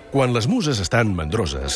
Quan les muses estan mandroses,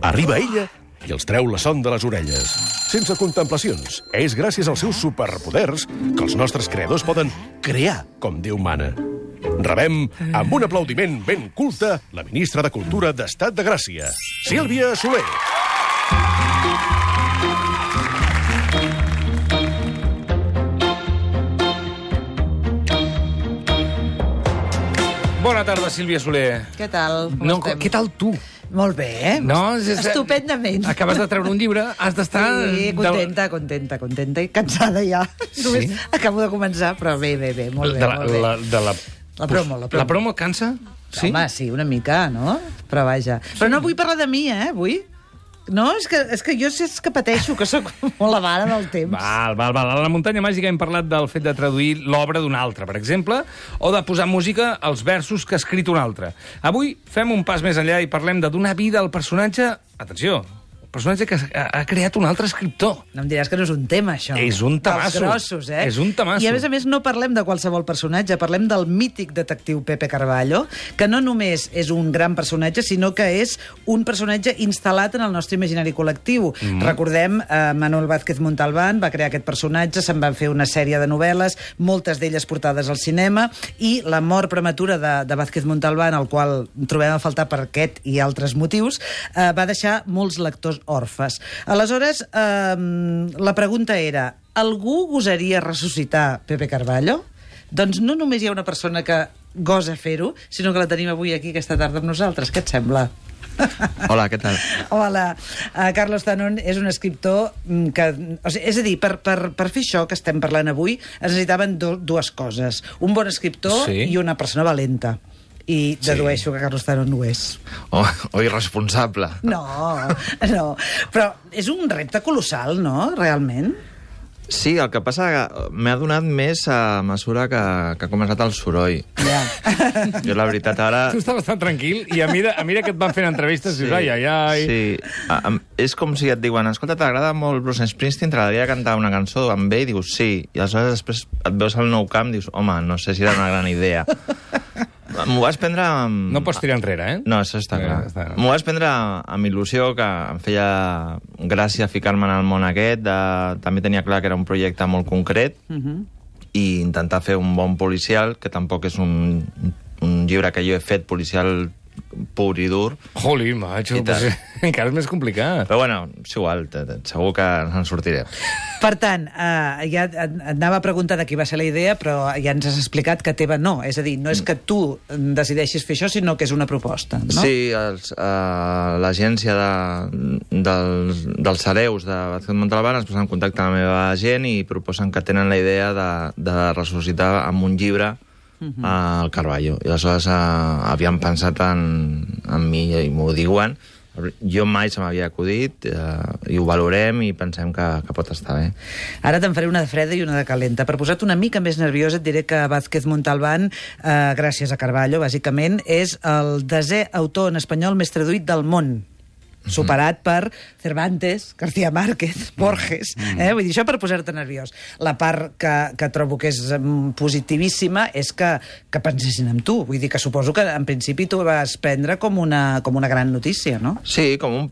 arriba ella i els treu la son de les orelles. Sense contemplacions. És gràcies als seus superpoders que els nostres creadors poden crear com Déu mana. Rebem, amb un aplaudiment ben culte, la ministra de Cultura d'Estat de Gràcia, Sílvia Soler. Bona tarda, Sílvia Soler. Què tal? No, què tal tu? Molt bé. No, estupendament. Acabes de treure un llibre, has d'estar... Sí, contenta i cansada ja. Sí? Només acabo de començar, però bé, molt bé. La promo. La promo cansa? Sí? Home, sí, una mica, no? Però vaja. Però no vull parlar de mi, avui. No, és que jo és que pateixo, que sóc molt avara del temps. Val. A la muntanya màgica hem parlat del fet de traduir l'obra d'un altre, per exemple, o de posar música als versos que ha escrit un altre. Avui fem un pas més enllà i parlem de donar vida al personatge... Atenció, el personatge que ha creat un altre escriptor. No em diràs que no és un tema, això. És un temasso. Dels grossos, És un temasso. I a més no parlem de qualsevol personatge, parlem del mític detectiu Pepe Carballo, que no només és un gran personatge, sinó que és un personatge instal·lat en el nostre imaginari col·lectiu. Recordem, Manuel Vázquez Montalbán va crear aquest personatge, se'n van fer una sèrie de novel·les, moltes d'elles portades al cinema, i la mort prematura de Vázquez Montalbán, el qual trobem a faltar per aquest i altres motius, va deixar molts lectors orfes. Aleshores, la pregunta era: algú gosaria ressuscitar Pepe Carballo? Doncs no només hi ha una persona que gosa fer-ho, sinó que la tenim avui aquí aquesta tarda amb nosaltres. Què et sembla? Hola, què tal? Hola. Carlos Tanón és un escriptor que... és a dir, per fer això que estem parlant avui, es necessitaven dues coses. Un bon escriptor i una persona valenta. I dedueixo que Carlos Tanón no ho és. O irresponsable. No. Però és un repte colossal, no?, realment. Sí, el que passa que m'ha donat més a mesura que ha començat el soroll. Ja. Jo, la veritat, ara... Tu estaves tan tranquil i a mesura que et van fent entrevistes dius, ai. Sí, és com si et diuen, escolta, t'agrada molt Bruce Springsteen, t'agradaria cantar una cançó amb ell? Dius, sí. I aleshores després et veus al Nou Camp i dius, home, no sé si era una gran idea. M'ho vas prendre... No pots tirar enrere, eh? No, això està clar. M'ho vas prendre amb il·lusió, que em feia gràcia ficar-me en el món aquest. També tenia clar que era un projecte molt concret i intentar fer un bon policial, que tampoc és un llibre que jo he fet policial pur i dur. Joli, macho, encara és més complicat. Però bueno, és igual, segur que ens en sortirem. Per tant, ja et anava a preguntar de qui va ser la idea, però ja ens has explicat que teva no. És a dir, no és que tu decideixis fer això, sinó que és una proposta, no? Sí, l'agència dels hereus de Vázquez Montalbán es posa en contacte amb la meva gent i proposen que tenen la idea de ressuscitar amb un llibre al Carballo. I aleshores havíem pensat en mi i m'ho diuen. Jo mai se m'havia acudit i ho valorem i pensem que pot estar bé. Ara te'n faré una de freda i una de calenta. Per posar-te una mica més nerviosa et diré que Vázquez Montalbán, gràcies a Carballo, bàsicament, és el 10è autor en espanyol més traduït del món, superat per Cervantes, García Márquez, Borges. Vull dir, això per posar-te nerviós. La part que trobo que és positivíssima és que pensessin en tu. Vull dir que suposo que en principi tu vas prendre com una gran notícia, no? Sí, com un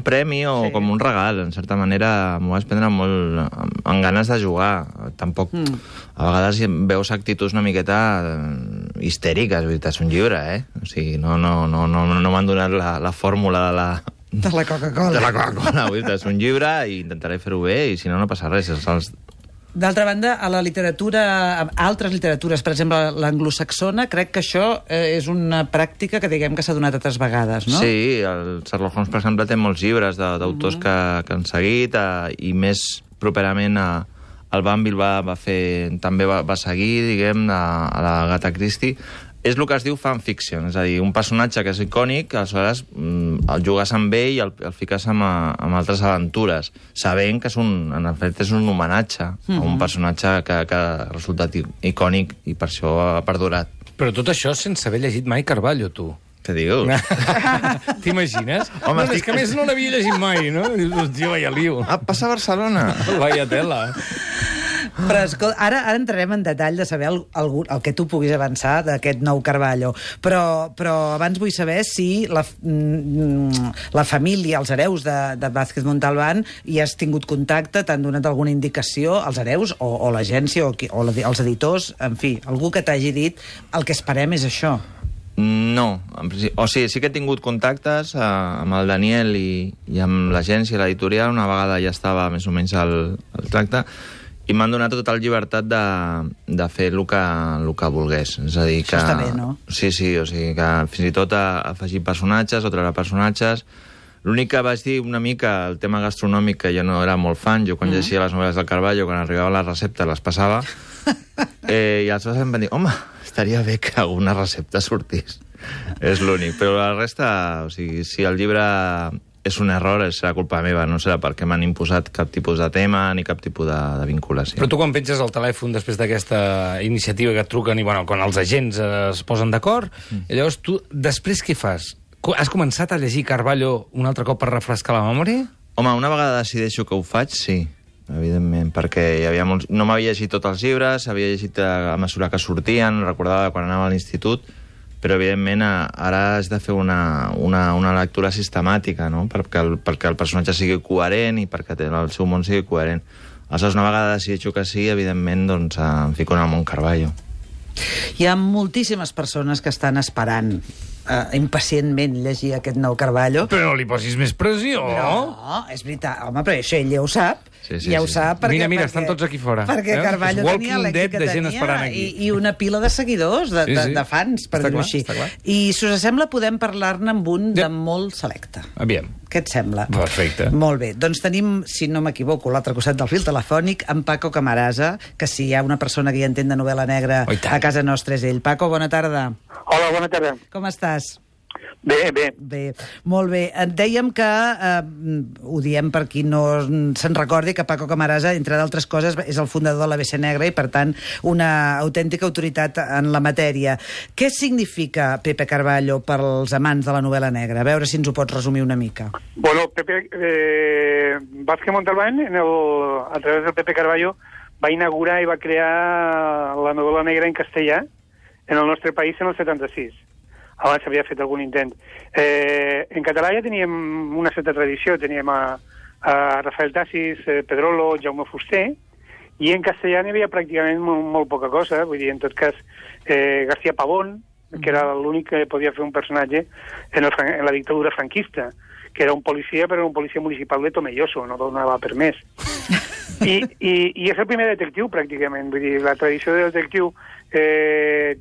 premi o com un regal. En certa manera m'ho vas prendre molt amb ganes de jugar. Tampoc... A vegades veus actituds una miqueta histèriques. Vull dir, és un llibre, O sigui, no m'han donat la fórmula de la Coca-Cola. De la Coca-Cola, és un llibre i intentaré fer-ho bé i si no passa res. D'altra banda, a la literatura, a altres literatures, per exemple l'anglosaxona, crec que això és una pràctica que diguem que s'ha donat altres vegades, no? Sí, el Sherlock Holmes, per exemple, té molts llibres d'autors que han seguit i més properament el Banville també va seguir, diguem, a la Agatha Christie. És el que es diu fanfiction, és a dir, un personatge que és icònic, aleshores el jugues amb ell i el fiques amb altres aventures, sabent que en efecte és un homenatge a un personatge que ha resultat icònic i per això ha perdurat. Però tot això sense haver llegit mai Carballo, tu. Què dius? T'imagines? Home, és que a més no l'havia llegit mai, no? Dius, tio, vaya lío. Passa a Barcelona. Vaya tela. Però escolta, ara entrarem en detall de saber el que tu puguis avançar d'aquest nou Carballo. Però abans vull saber si la família, els hereus de Vázquez Montalbán, hi has tingut contacte, t'han donat alguna indicació, els hereus o l'agència o els editors, en fi, algú que t'hagi dit el que esperem és això. No, o sigui, sí que he tingut contactes amb el Daniel i amb l'agència, l'editorial, una vegada ja estava més o menys el tracte, i m'han donat total llibertat de fer el que volgués. És a dir, que... Això està bé, no? Sí, o sigui, que fins i tot afegir personatges o treure personatges. L'únic que vaig dir una mica, el tema gastronòmic, que jo no era molt fan, jo quan llegia les novel·les del Carballo, quan arribava la recepta les passava, i aleshores em van dir, home, estaria bé que alguna recepta sortís. És l'únic. Però la resta, o sigui, si el llibre és un error, serà culpa meva, no serà perquè m'han imposat cap tipus de tema ni cap tipus de vinculació. Però tu quan penges el telèfon després d'aquesta iniciativa que et truquen i quan els agents es posen d'acord, llavors tu, després què fas? Has començat a llegir Carballo un altre cop per refrescar la memòria? Home, una vegada decideixo que ho faig, sí, evidentment, perquè no m'havia llegit tots els llibres, havia llegit a mesura que sortien, recordava quan anava a l'institut, però evidentment ara has de fer una lectura sistemàtica, no? perquè el personatge sigui coherent i perquè el seu món sigui coherent. Aleshores, una vegada decideixo que sí, evidentment, doncs em fico en el món Carballo. Hi ha moltíssimes persones que estan esperant impacientment llegir aquest nou Carballo. Però no li posis més pressió. No, és veritat. Home, però això ell ja ho sap. Ja ho sap perquè... Mira, estan tots aquí fora. Perquè Carballo tenia l'èxit que tenia i una pila de seguidors, de fans, per dir-ho així. I, si us sembla, podem parlar-ne amb un de molt selecte. Aviam. Què et sembla? Perfecte. Molt bé. Doncs tenim, si no m'equivoco, l'altre costat del fil telefònic, amb Paco Camarasa, que si hi ha una persona que hi entén de novel·la negra a casa nostra és ell. Paco, bona tarda. Hola, bona tarda. Com estàs? Bé. Molt bé. Dèiem que, ho diem per qui no se'n recordi, que Paco Camarasa, entre d'altres coses, és el fundador de l'ABC Negra i, per tant, una autèntica autoritat en la matèria. Què significa Pepe Carballo pels amants de la novel·la negra? A veure si ens ho pots resumir una mica. Bueno, Vázquez Montalbán, a través del Pepe Carballo, va inaugurar i va crear la novel·la negra en castellà en el nostre país en el 76. Abans s'havia fet algun intent. En català ja teníem una certa tradició, teníem a Rafael Tassis, Pedrolo, Jaume Fuster, i en castellà n'hi havia pràcticament molt poca cosa, vull dir, en tot cas, García Pavón, que era l'únic que podia fer un personatge en la dictadura franquista, que era un policia, però era un policia municipal de Tomelloso, no donava per més. I és el primer detectiu, pràcticament. Vull dir, la tradició del detectiu,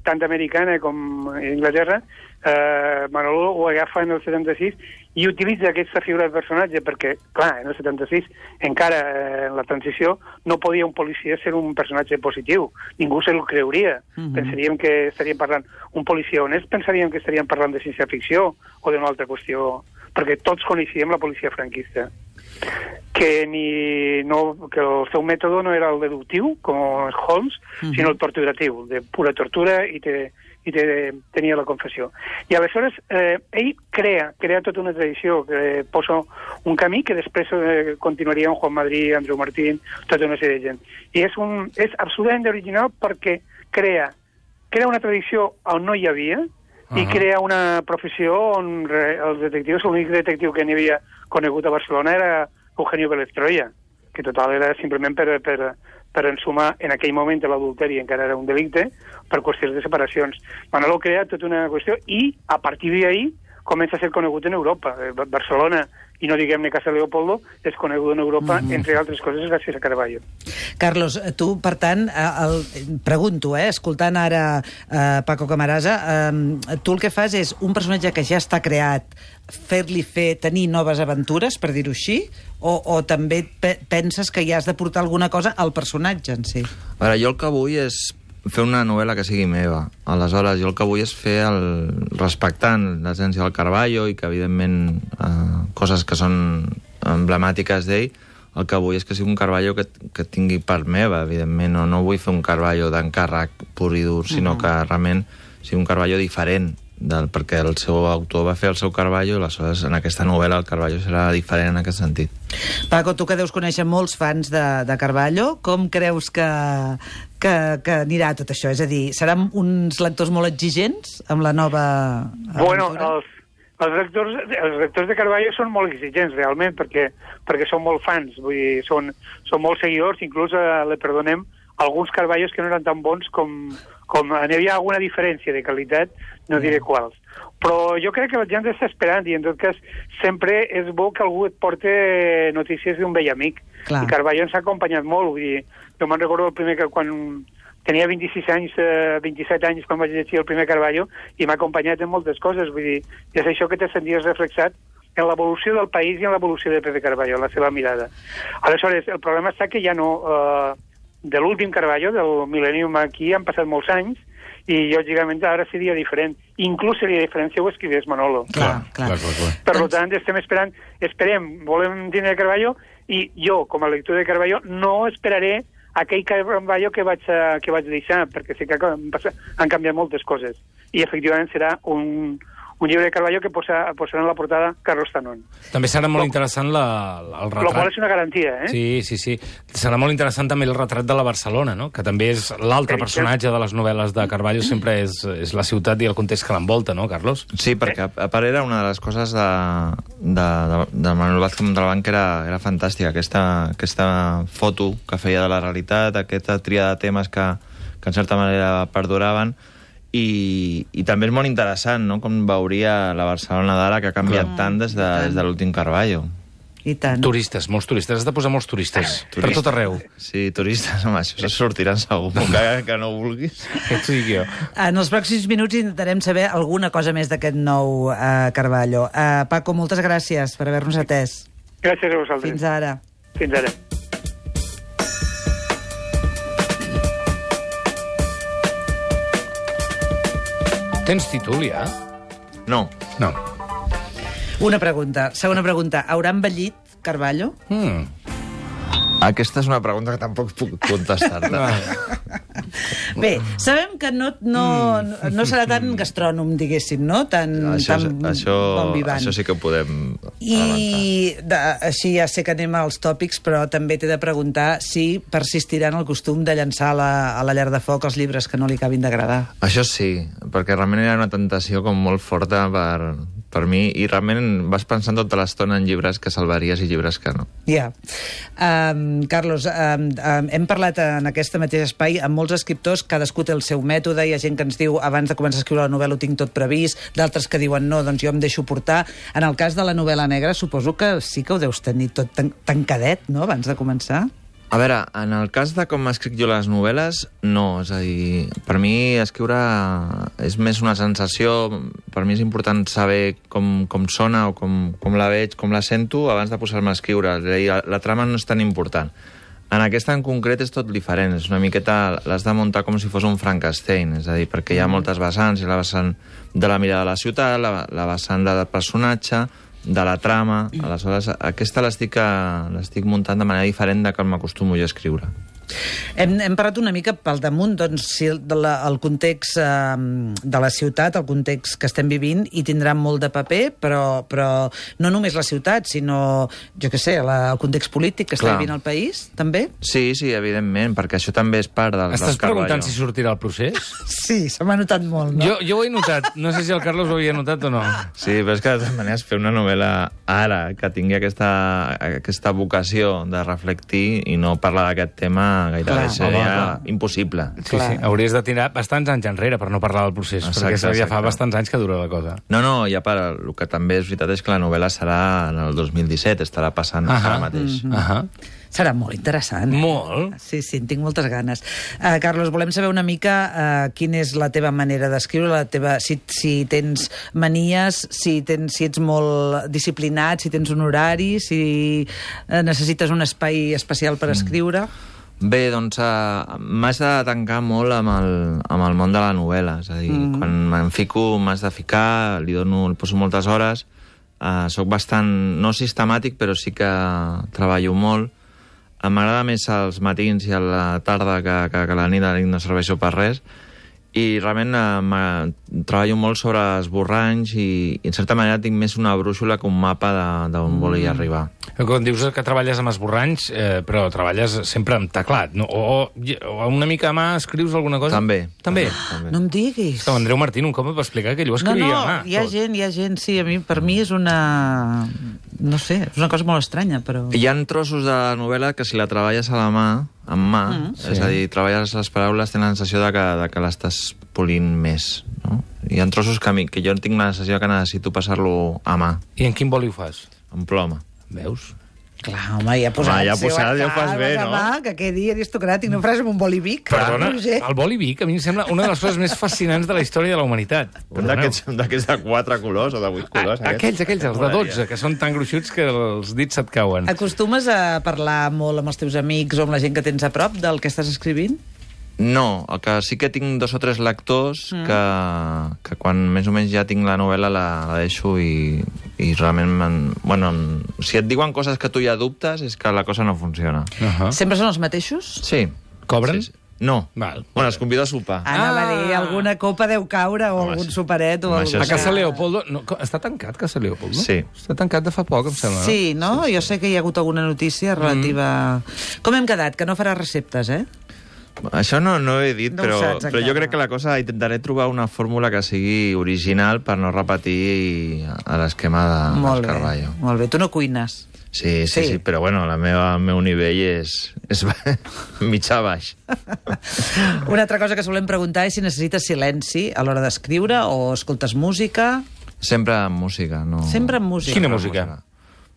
tant americana com Inglaterra, Manolo ho agafa en el 76 i utilitza aquesta figura de personatge perquè, clar, en el 76, encara en la transició, no podia un policia ser un personatge positiu. Ningú se'l creuria. Pensaríem que estaríem parlant... Un policia honest pensaríem que estaríem parlant de ciència-ficció o d'una altra qüestió, perquè tots coneixíem la policia franquista. Que el seu mètode no era el deductiu, com Holmes, sinó el torturatiu, de pura tortura i tenia la confessió. I aleshores ell crea tota una tradició, que posa un camí que després continuaria amb Juan Madrid, Andreu Martín, tota una sèrie de gent. I és absolutament original perquè crea una tradició on no hi havia i crea una professió on els detectius, l'únic detectiu que n'hi havia conegut a Barcelona era Eugenio Vélez Troya, que total era simplement per ensumar en aquell moment l'adulteri, encara era un delicte, per qüestions de separacions. Manolo crea tota una qüestió i, a partir d'ahir, comença a ser conegut en Europa. Barcelona, i no diguem-ne Casa Leopoldo, és conegut en Europa, entre altres coses, gràcies a Carballo. Carlos, tu, per tant, pregunto, escoltant ara Paco Camarasa, tu el que fas és un personatge que ja està creat, fer-li tenir noves aventures, per dir-ho així, o també penses que ja has de portar alguna cosa al personatge en si? A veure, jo el que vull és fer una novel·la que sigui meva. Aleshores, jo el que vull és fer respectant l'essència del Carballo i que, evidentment, coses que són emblemàtiques d'ell, el que vull és que sigui un Carballo que tingui part meva, evidentment. No vull fer un Carballo d'encàrrec pur i dur, sinó que realment sigui un Carballo diferent perquè el seu autor va fer el seu Carballo, i aleshores en aquesta novel·la el Carballo serà diferent en aquest sentit. Paco, tu que deus conèixer molts fans de Carballo, com creus que anirà tot això? És a dir, seran uns lectors molt exigents amb la nova aventura? Bueno, els lectors de Carballo són molt exigents, realment, perquè són molt fans, vull dir, són molt seguidors, inclús li perdonem alguns Carballos que no eren tan bons com n'hi havia alguna diferència de qualitat, no diré quals. Però jo crec que la gent està esperant, i en tot cas sempre és bo que algú et porte notícies d'un vell amic. Clar. I Carballo ens ha acompanyat molt, vull dir, jo me'n recordo el primer que quan tenia 26 anys, 27 anys quan vaig llegir el primer Carballo, i m'ha acompanyat en moltes coses, vull dir, és això que te senties reflexat en l'evolució del país i en l'evolució de Pepe Carballo, la seva mirada. Aleshores, el problema està que ja no... de l'últim Carballo, del Millennium aquí, han passat molts anys, i lògicament ara seria diferent. Inclús seria diferent si ho escrivés Manolo. Clar. Per tant, esperem, volem tindre Carballo, i jo, com a lector de Carballo, no esperaré aquell Carballo que vaig deixar, perquè sé que han canviat moltes coses. I, efectivament, serà un llibre de Carballo que posarà en la portada Carlos Tanón. També serà molt interessant el retrat. Lo qual és una garantia, eh? Sí. Serà molt interessant també el retrat de la Barcelona, no? Que també és l'altre personatge de les novel·les de Carballo, sempre és la ciutat i el context que l'envolta, no, Carlos? Sí, perquè a part era una de les coses de Manuel Vázquez Montalbán que era fantàstica, aquesta foto que feia de la realitat, aquesta tria de temes que en certa manera perduraven, i també és molt interessant, no?, com veuria la Barcelona d'ara, que ha canviat tant des de l'últim Carballo. I tant. Turistes, molts turistes. Has de posar molts turistes. Per tot arreu. Sí, turistes, home, això sortiran segur, que no vulguis. Què et dic jo? En els pròxims minuts intentarem saber alguna cosa més d'aquest nou Carballo. Paco, moltes gràcies per haver-nos atès. Gràcies a vosaltres. Fins ara. Fins ara. Tens títol, ja? No. Una pregunta. Segona pregunta. Haurà envellit Carballo? Aquesta és una pregunta que tampoc puc contestar-te. Bé, sabem que no serà tan gastrònom, diguéssim, no? Tan bon vivant. Això sí que ho podem avançar. Així ja sé que anem als tòpics, però també t'he de preguntar si persistirà en el costum de llançar a la llar de foc els llibres que no li acabin d'agradar. Això sí, perquè realment era una tentació com molt forta per mi, i realment vas pensant tota l'estona en llibres que salvaries i llibres que no. Ja. Carlos, hem parlat en aquest mateix espai amb molts escriptors, cadascú té el seu mètode, hi ha gent que ens diu abans de començar a escriure la novel·la ho tinc tot previst, d'altres que diuen no, doncs jo em deixo portar. En el cas de la novel·la negra suposo que sí que ho deus tenir tot tancadet, no?, abans de començar. A veure, en el cas de com escric jo les novel·les, no. És a dir, per mi escriure és més una sensació. Per mi és important saber com sona o com la veig, com la sento, abans de posar-me a escriure. És a dir, la trama no és tan important. En aquesta en concret és tot diferent. És una miqueta, l'has de muntar com si fos un Frankenstein. És a dir, perquè hi ha moltes vessants. Hi ha la vessant de la mirada de la ciutat, la vessant del personatge, de la trama. Aleshores, aquesta l'estic muntant de manera diferent de com m'acostumo jo a escriure. Hem parlat una mica pel damunt, doncs, si el context de la ciutat, el context que estem vivint, hi tindrà molt de paper, però no només la ciutat, sinó, jo què sé, el context polític que està vivint el país, també? Sí, evidentment, perquè això també és part del Carballo. Estàs preguntant si sortirà el procés? Sí, se m'ha notat molt, no? Jo ho he notat, no sé si el Carlos ho havia notat o no. Sí, però és que de totes maneres fer una novel·la ara, que tingui aquesta vocació de reflectir i no parlar d'aquest tema gairebé seria impossible. Sí, hauries de tirar bastants anys enrere per no parlar del procés, perquè ja fa bastants anys que dura la cosa. No, i a part, el que també és veritat és que la novel·la serà en el 2017, estarà passant ara mateix. Serà molt interessant. Molt. Sí, en tinc moltes ganes. Carlos, volem saber una mica quina és la teva manera d'escriure, si tens manies, si ets molt disciplinat, si tens un horari, si necessites un espai especial per escriure. Bé, doncs m'has de tancar molt amb el món de la novel·la. És a dir, quan me'n fico, m'has de ficar, li poso moltes hores. Soc bastant, no sistemàtic, però sí que treballo molt. M'agrada més els matins i a la tarda que la nit no serveixo per res. I realment treballo molt sobre esborranys i en certa manera tinc més una brúixola que un mapa d'on volia arribar. Quan dius que treballes amb esborranys, però treballes sempre amb teclat, no? O una mica a mà escrius alguna cosa? També. També? No em diguis. Estava Andreu Martín un cop va explicar que ell ho escrivia a mà. Hi ha gent, sí, per mi és una... No sé, és una cosa molt estranya, però... Hi ha trossos de la novel·la que si la treballes a la mà, amb mà, és a dir, treballes les paraules, tens la sensació de que l'estàs polint més, no? Hi ha trossos que jo tinc la sensació que necessito passar-lo a mà. I en quin boli ho fas? En ploma. Veus? Clar, home, ja posat, ja ho fas bé, no? Que quedi aristocràtic, no faràs amb un boli Bic. Perdona, el boli Bic a mi em sembla una de les coses més fascinants de la història de la humanitat. Un d'aquests de 4 colors o de 8 colors. Aquells, els de 12, que són tan gruixuts que els dits se't cauen. Acostumes a parlar molt amb els teus amics o amb la gent que tens a prop del que estàs escrivint? No, el que sí que tinc 2 o 3 lectors que quan més o menys ja tinc la novel·la la deixo i realment... si et diuen coses que tu ja dubtes és que la cosa no funciona. Sempre són els mateixos? Sí. Cobren? Sí. No. Val. Bueno, els convido a sopar. Anava a dir, alguna copa deu caure o algun superet o això alguna... A Casa Leopoldo... No, està tancat, Casa Leopoldo? Sí. Està tancat de fa poc, em sembla. Sí, no? Jo sé que hi ha hagut alguna notícia relativa... Com hem quedat? Que no farà receptes, eh? Això no ho he dit, No ho saps, però jo crec que la cosa... Intentaré trobar una fórmula que sigui original per no repetir a l'esquema del Carballo. Molt bé. Tu no cuines? Sí, però bueno, el meu nivell és mitjà baix. Una altra cosa que solem preguntar és si necessites silenci a l'hora d'escriure o escoltes música. Sempre amb música, no... Sempre amb música. Quina música?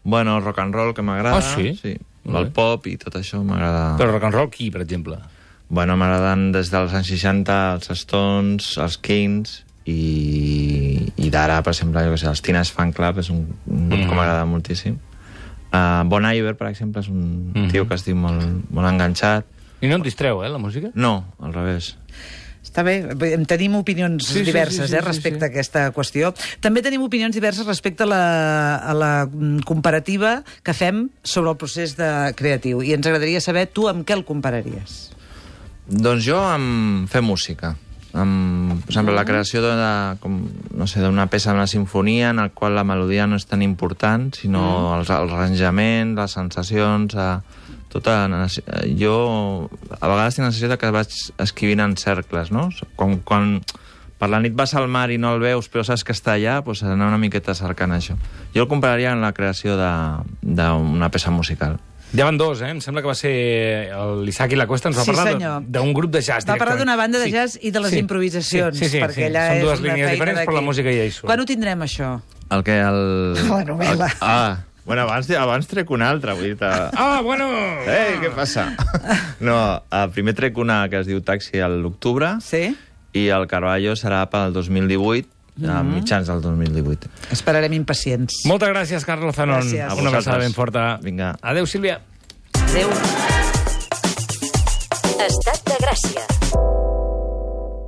Bueno, el rock and roll, que m'agrada. Ah, sí? Sí. El pop i tot això m'agrada. Però rock and roll qui, per exemple? Bueno, m'agraden des dels anys 60 els Stones, els Kings i d'ara, per exemple, jo què sé, els Teenage Fan Club és un grup que m'agrada moltíssim. Bon Iver, per exemple, és un tio que estic molt enganxat. I no et distreu, la música? No, al revés. Està bé, tenim opinions diverses respecte a aquesta qüestió. També tenim opinions diverses respecte a la comparativa que fem sobre el procés creatiu. I ens agradaria saber tu amb què el compararies. Doncs jo amb fer música. Per exemple, la creació d'una peça d'una sinfonia en la qual la melodia no és tan important, sinó els arranjaments, les sensacions... Jo a vegades tinc la sensació que vaig escrivint en cercles, no? Quan per la nit vas al mar i no el veus però saps que està allà, doncs anar una miqueta cercant això. Jo el compararia amb la creació d'una peça musical. Ja van 2, Em sembla que va ser l'Isaac i la Cuesta, ens va parlar d'un grup de jazz. Va parlar d'una banda de jazz i de les improvisacions. Perquè allà són 2 línies diferents, però la música ja hi surt. Quan ho tindrem, això? La novel·la. Bueno, abans trec una altra, vull dir... Bueno! Què passa? No, primer trec una que es diu Taxi a l'octubre, i el Carballo serà pel 2018, a mitjans del 2018. Esperarem impacients. Moltes gràcies, Carlos Zanon. Gràcies. Una abraçada ben forta. Vinga. Adéu, Sílvia. Adéu. Estat de Gràcia.